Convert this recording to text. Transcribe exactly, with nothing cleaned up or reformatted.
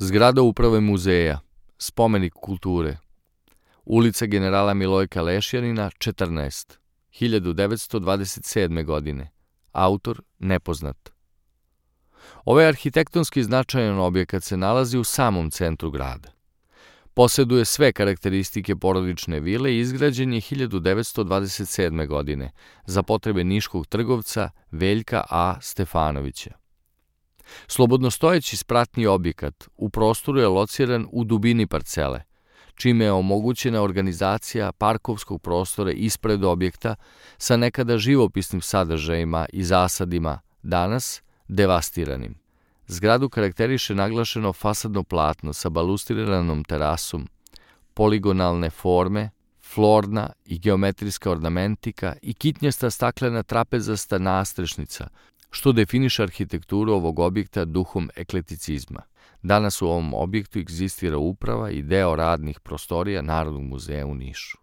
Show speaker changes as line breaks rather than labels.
Zgrada uprave muzeja, spomenik kulture, ulica generala Milojka Lešjanina, četrnaest, hiljadu devetsto dvadeset sedme. godine, autor nepoznat. Ovaj arhitektonski značajan objekat se nalazi u samom centru grada. Poseduje sve karakteristike porodične vile i izgrađen je hiljadu devetsto dvadeset sedme. godine za potrebe niškog trgovca Veljka A. Stefanovića. Slobodnostojeći spratni objekat u prostoru je lociran u dubini parcele, čime je omogućena organizacija parkovskog prostora ispred objekta sa nekada živopisnim sadržajima i zasadima, danas devastiranim. Zgradu karakteriše naglašeno fasadno platno sa balustriranom terasom, poligonalne forme, florna i geometrijska ornamentika i kitnjasta staklena trapezasta nastrešnica, što definiše arhitekturu ovog objekta duhom ekleticizma. Danas u ovom objektu egzistira uprava i deo radnih prostorija Narodnog muzeja u Nišu.